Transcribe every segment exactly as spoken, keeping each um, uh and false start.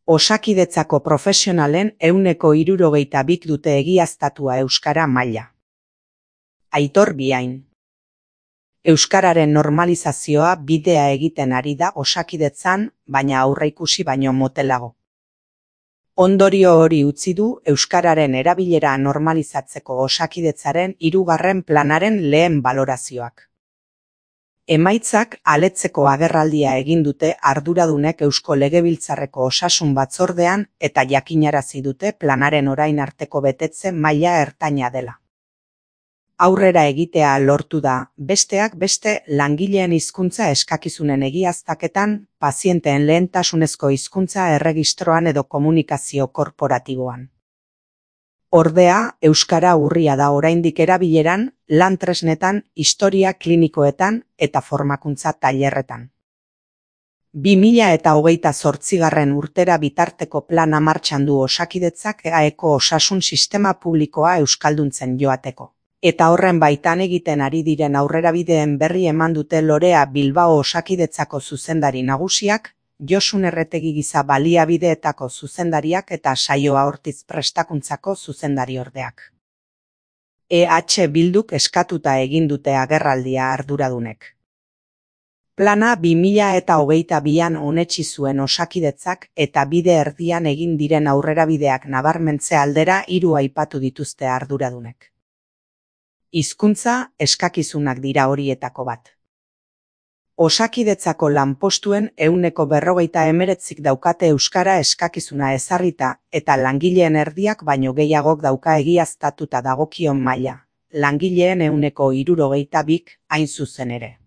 Osakidetzako profesionalen ehuneko hirurogeita bik dute egiaztatua euskara maila. Aitor Biain. Euskararen normalizazioa bidea egiten ari da osakidetzan, baina aurreikusi baino motelago. Ondorio hori utzi du euskararen erabilera normalizatzeko osakidetzaren hirugarren planaren lehen balorazioak. Emaitzak aletzeko agerraldia egin dute arduradunek Eusko Legebiltzarreko Osasun Batzordean eta jakinarazi dute planaren orain arteko betetze maila ertaina dela. Aurrera egitea lortu da, besteak beste langileen hizkuntza eskakizunen egiaztaketan, pazienteen lehentasunezko hizkuntza erregistroan edo komunikazio korporatiboan. Ordea, euskara urria da oraindik erabileran, lan tresnetan, historia klinikoetan eta formakuntza tailerretan. bi mila eta hogeita zortzigarren urtera bitarteko plana martxan du Osakidetzak E A Eko osasun sistema publikoa euskalduntzen joateko. Eta horren baitan egiten ari diren aurrerabideen berri eman dute Lorea Bilbao Osakidetzako zuzendari nagusiak, Josun Erretegi giza baliabideetako zuzendariak eta Saioa Ortiz prestakuntzako zuzendariordeak. E H Bilduk eskatuta egin dute agerraldia arduradunek. Plana bi mila eta hogeita bian onetsi zuen Osakidetzak eta bide erdian egin diren aurrerabideak nabarmentze aldera hiru aipatu dituzte arduradunek. Hizkuntza eskakizunak dira horietako bat. Osakidetzako lanpostuen ehuneko berrogeita hemeretzik daukate euskara eskakizuna ezarrita eta langileen erdiak baino gehiagok dauka egiaztatuta dagokion maila, langileen ehuneko hirurogeita bik hain zuzen ere.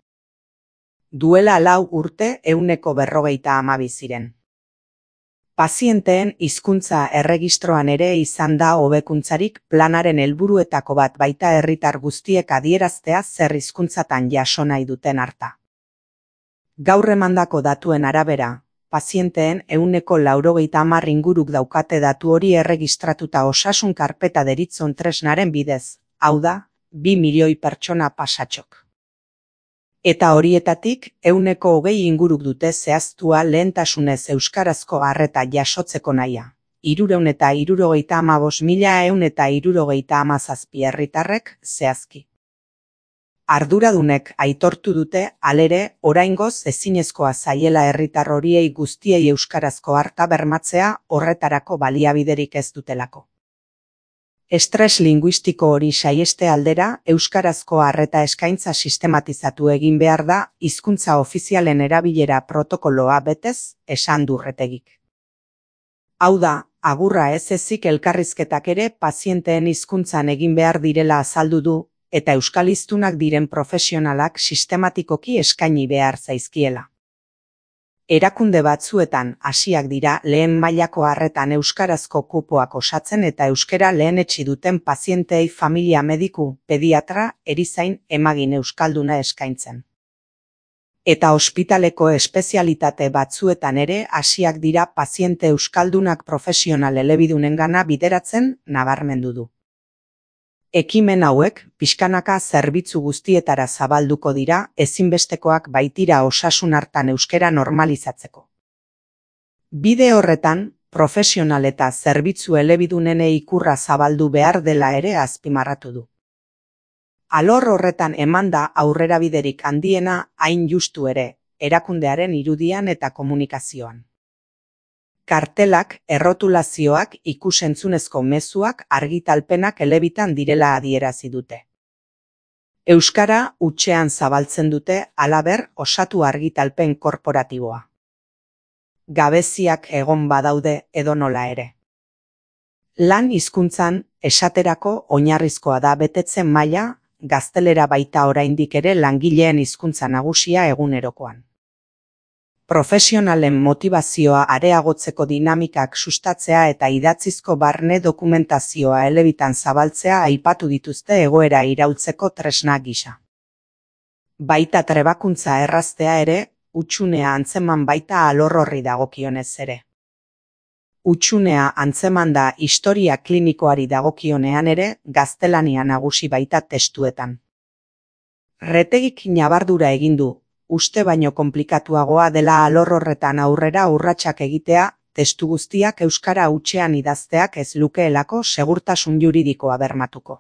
Duela lau urte ehuneko berrogeita hamabi ziren. Pazienteen hizkuntza erregistroan ere izan da hobekuntzarik planaren helburuetako bat baita herritar guztiek adieraztea zer hizkuntzatan jaso nahi duten harta. Gaur emandako datuen arabera, pazienteen ehuneko laurogeita hamar inguruk daukate datu hori erregistratuta osasun karpeta deritzon tresnaren bidez, hau da, bi milioi pertsona pasatxok. Eta horietatik, ehuneko hogei inguruk dute zehaztua lehentasunez euskarazko arreta jasotzeko nahia. Hirurehun eta hirurogeita hamabost mila ehun eta hirurogeita hamazazpi herritarrek zehazki. Arduradunek aitortu dute, halere, oraingoz ezinezkoa zaiela herritar horiei guztiei euskarazko harta bermatzea horretarako baliabiderik ez dutelako. Estres linguistiko hori saieste aldera, euskarazko arreta eskaintza sistematizatu egin behar da, hizkuntza ofizialen erabilera protokoloa betez, esan du Erretegik. Hau da, agurra ez ezik elkarrizketak ere pazienteen hizkuntzan egin behar direla azaldu du, eta euskaliztunak diren profesionalak sistematikoki eskaini behar zaizkiela. Erakunde batzuetan hasiak dira lehen mailako arretan euskarazko kupoak osatzen eta euskara lehenetsi duten pazienteei familia mediku, pediatra, erizain, emagin euskalduna eskaintzen. Eta ospitaleko espezialitate batzuetan ere hasiak dira paziente euskaldunak profesional elebidunengana bideratzen nabarmendu du. Ekimen hauek, pixkanaka zerbitzu guztietara zabalduko dira, ezinbestekoak baitira osasun hartan euskara normalizatzeko. Bide horretan, profesional eta zerbitzu elebidunene ikurra zabaldu behar dela ere azpimarratu du. Alor horretan emanda aurrerabiderik handiena hain justu ere, erakundearen irudian eta komunikazioan. Kartelak, errotulazioak, ikusentzunezko mezuak, argitalpenak elebitan direla adierazi dute. Euskara hutsean zabaltzen dute, halaber, osatu argitalpen korporatiboa. Gabeziak egon badaude edonola ere. Lan hizkuntzan, esaterako oinarrizkoa da betetze maila, gaztelera baita oraindik ere langileen hizkuntza nagusia egunerokoan. Profesionalen motivazioa areagotzeko dinamikak sustatzea eta idatzizko barne dokumentazioa elebitan zabaltzea aipatu dituzte egoera iraultzeko tresna gisa. Baita trebakuntza erraztea ere, hutsunea antzeman baita alor horri dagokionez ere. Hutsunea antzeman da historia klinikoari dagokionean ere, gaztelania nagusi baita testuetan. Erretegik ñabardura egin du, uste baino konplikatuagoa dela alor horretan aurrera urratsak egitea, testu guztiak euskara hutsean idazteak ez lukeelako segurtasun juridikoa bermatuko.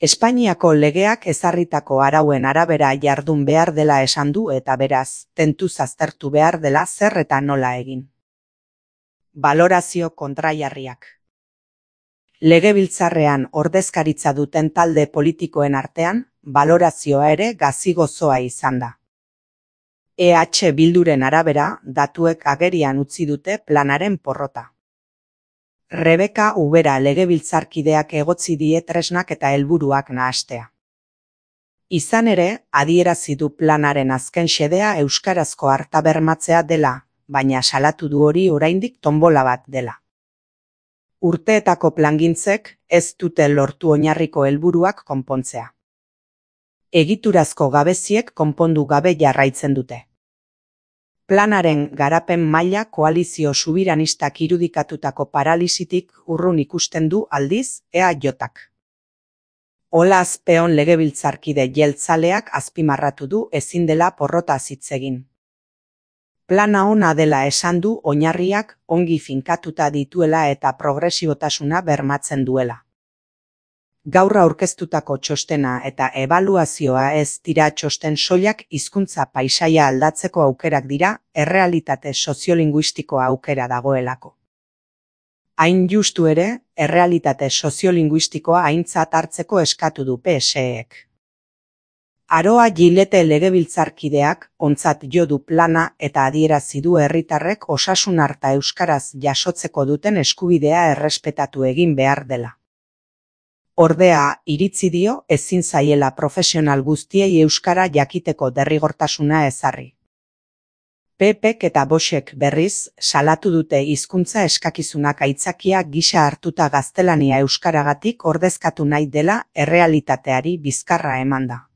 Espainiako legeak ezarritako arauen arabera jardun behar dela esan du eta beraz, tentuz aztertu behar dela zer eta nola egin. Balorazio kontrajarriak. Legebiltzarrean ordezkaritza duten talde politikoen artean, balorazioa ere gazi-gozoa izan da. E H Bilduren arabera, datuek agerian utzi dute planaren porrota. Rebeka Ubera legebiltzarkideak egotzi die tresnak eta helburuak nahastea. Izan ere, adierazi du planaren azken xedea euskarazko arta bermatzea dela, baina salatu du hori oraindik tonbola bat dela. Urteetako plangintzek ez dute lortu oinarriko helburuak konpontzea. Egiturazko gabeziek konpondu gabe jarraitzen dute. Planaren garapen maila koalizio subiranistak irudikatutako paralisitik urrun ikusten du aldiz E A Jk. Ola Azpeon legebiltzarkide jeltzaleak azpimarratu du ezin dela porrotaz hitz egin. Plana ona dela esan du oinarriak ongi finkatuta dituela eta progresibotasuna bermatzen duela. Gaur aurkeztutako txostena eta ebaluazioa ez dira txosten soilak hizkuntza paisaia aldatzeko aukerak dira, errealitate soziolinguistikoa aukera dagoelako. Hain justu ere, errealitate soziolinguistikoa aintzat hartzeko eskatu du P S E-ek. Aroa Gilete legebiltzarkideak ontzat jo du plana eta adierazi du herritarrek osasun arta euskaraz jasotzeko duten eskubidea errespetatu egin behar dela. Ordea, iritzi dio ezin zaiela profesional guztiei euskara jakiteko derrigortasuna ezarri. P Pek eta Voxek berriz, salatu dute hizkuntza eskakizunak aitzakia gisa hartuta gaztelania euskaragatik ordezkatu nahi dela errealitateari bizkarra emanda.